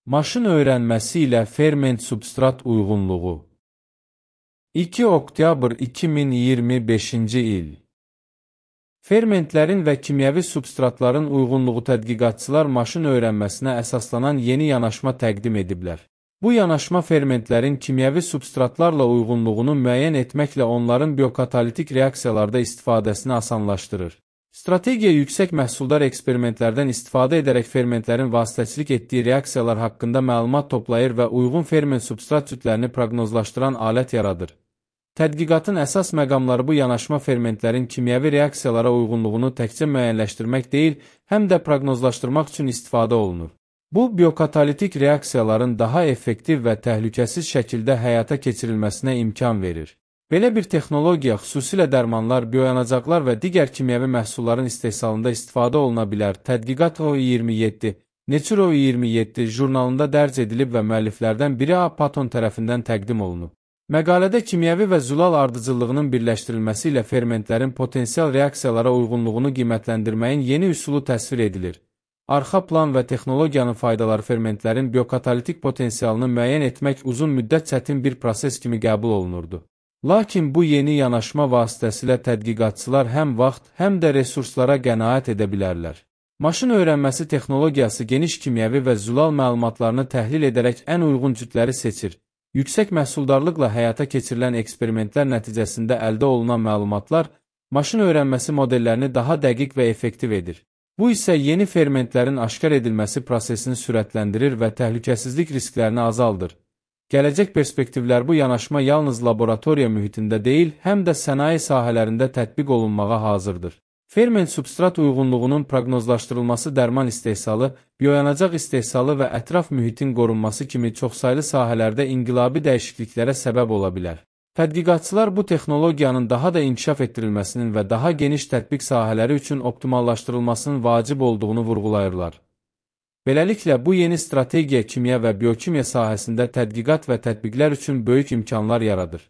Maşın öyrənməsi ilə ferment-substrat uyğunluğu. 2 oktyabr 2025-ci il. Fermentlərin və kimyəvi substratların uyğunluğu tədqiqatçılar maşın öyrənməsinə əsaslanan yeni yanaşma təqdim ediblər. Bu yanaşma fermentlərin kimyəvi substratlarla uyğunluğunu müəyyən etməklə onların biokatalitik reaksiyalarda istifadəsini asanlaşdırır. Strategiya yüksək məhsuldar eksperimentlərdən istifadə edərək fermentlərin vasitəçilik etdiyi reaksiyalar haqqında məlumat toplayır və uyğun ferment-substrat cütlərini proqnozlaşdıran alət yaradır. Tədqiqatın əsas məqamları bu yanaşma fermentlərin kimyəvi reaksiyalara uyğunluğunu təkcə müəyyənləşdirmək deyil, həm də proqnozlaşdırmaq üçün istifadə olunur. Bu, biokatalitik reaksiyaların daha effektiv və təhlükəsiz şəkildə həyata keçirilməsinə imkan verir. Belə bir texnologiya xüsusilə dərmanlar, bioyanacaqlar və digər kimyəvi məhsulların istehsalında istifadə oluna bilər. Tədqiqat OI27, Nature OI27 jurnalında dərc edilib və müəlliflərdən biri A. Patton tərəfindən təqdim olunub. Məqalədə kimyəvi və zülal ardıcıllığının birləşdirilməsi ilə fermentlərin potensial reaksiyalara uyğunluğunu qiymətləndirməyin yeni üsulu təsvir edilir. Arxa plan və texnologiyanın faydaları fermentlərin biokatalitik potensialını müəyyən etmək uzun müddət çətin bir proses kimi qəbul olunurdu. Lakin bu yeni yanaşma vasitəsilə tədqiqatçılar həm vaxt, həm də resurslara qənaət edə bilərlər. Maşın öyrənməsi texnologiyası geniş kimyəvi və zülal məlumatlarını təhlil edərək ən uyğun cütləri seçir. Yüksək məhsuldarlıqla həyata keçirilən eksperimentlər nəticəsində əldə olunan məlumatlar maşın öyrənməsi modellərini daha dəqiq və effektiv edir. Bu isə yeni fermentlərin aşkar edilməsi prosesini sürətləndirir və təhlükəsizlik risklərini azaldır. Gələcək perspektivlər bu yanaşma yalnız laboratoriya mühitində deyil, həm də sənaye sahələrində tətbiq olunmağa hazırdır. Ferment-substrat uyğunluğunun proqnozlaşdırılması dərman istehsalı, bioyanacaq istehsalı və ətraf mühitin qorunması kimi çoxsaylı sahələrdə inqilabi dəyişikliklərə səbəb ola bilər. Tədqiqatçılar bu texnologiyanın daha da inkişaf etdirilməsinin və daha geniş tətbiq sahələri üçün optimallaşdırılmasının vacib olduğunu vurğulayırlar. Beləliklə, bu yeni strategiya kimya və biokimya sahəsində tədqiqat və tətbiqlər üçün böyük imkanlar yaradır.